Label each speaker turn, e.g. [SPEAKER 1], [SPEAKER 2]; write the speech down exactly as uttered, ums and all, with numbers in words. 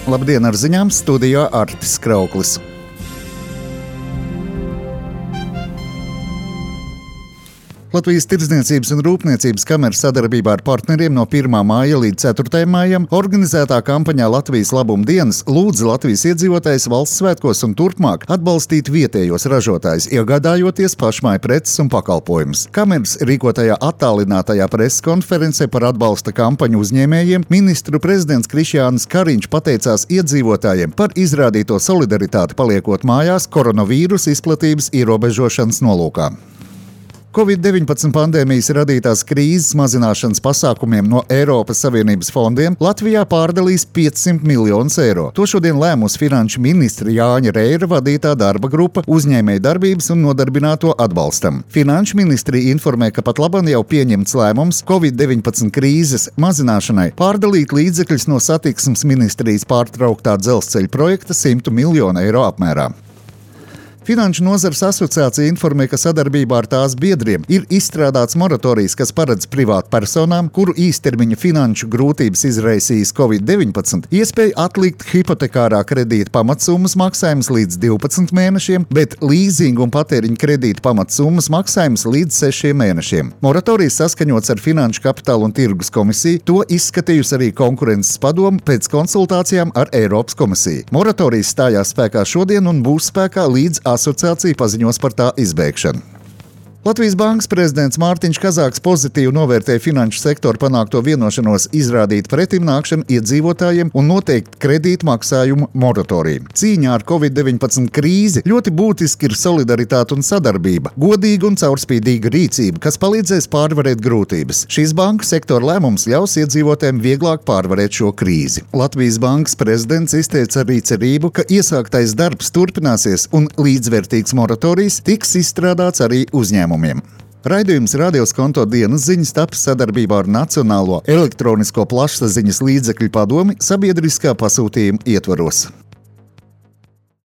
[SPEAKER 1] Labdien, ar ziņām studijā Artis Krauklis. Latvijas Tirdzniecības un Rūpniecības kameras sadarbībā ar partneriem no pirmā māja līdz ceturtajam mājam organizētā kampaņā Latvijas labuma dienas lūdza Latvijas iedzīvotājus valsts svētkos un turpmāk atbalstīt vietējos ražotājus, iegādājoties pašmāju preces un pakalpojumus. Kameras rīkotajā attālinātajā preses konferencē par atbalsta kampaņu uzņēmējiem ministru prezidents Krišjānis Kariņš pateicās iedzīvotājiem par izrādīto solidaritāti paliekot mājās koronavīrusa izplatības ierobežošanas nolūkā. covid deviņpadsmit pandēmijas radītās krīzes mazināšanas pasākumiem no Eiropas Savienības fondiem Latvijā pārdalīs piecsimt miljonus eiro. To šodien lēmusi finanšu ministra Jāņa Reira vadītā darba grupa uzņēmēju darbības un nodarbināto atbalstam. Finanšu ministrija informē, ka pat labam jau pieņemts lēmums covid deviņpadsmit krīzes mazināšanai pārdalīt līdzekļus no satiksmes ministrijas pārtrauktā dzelzceļa projekta simtu miljonu eiro apmērā. Finanšu nozares asociācija informē, ka sadarbībā ar tās biedriem ir izstrādāts moratorijas, kas paredz privātu personām, kuru īstermiņa finanšu grūtības izraisījis covid deviņpadsmit, iespēju atlikt hipotekārā kredīta pamatsummas maksājumus līdz divpadsmit mēnešiem, bet līzinga un patēriņa kredīta pamatsummas maksājumus līdz sešiem mēnešiem. Moratorijas saskaņots ar Finanšu kapitāla un tirgus komisiju, to izskatījusi arī konkurences padome pēc konsultācijām ar Eiropas komisiju. Moratorijas stājās spēkā šodien un būs spēkā līdz asociācija paziņos par tā izbeigšanu. Latvijas Bankas prezidents Mārtiņš Kazāks pozitīvi novērtēja finanšu sektoru panākto vienošanos izrādīt pretimnākšanu iedzīvotājiem un noteikt kredītu maksājumu moratoriju. Cīņā ar covid deviņpadsmit krīzi ļoti būtiski ir solidaritāte un sadarbība, godīga un caurspīdīga rīcība, kas palīdzēs pārvarēt grūtības. Šīs banku sektora lēmums ļaus iedzīvotājiem vieglāk pārvarēt šo krīzi. Latvijas Bankas prezidents izteica arī cerību, ka iesāktais darbs turpināsies un līdzvērtīgs moratorijas tiks izstrādāts arī uzņēmumiem. Raidījums Radios Konto dienas ziņas taps sadarbībā ar Nacionālo elektronisko plašsaziņas līdzekļu padomi sabiedriskā pasūtījuma ietvaros.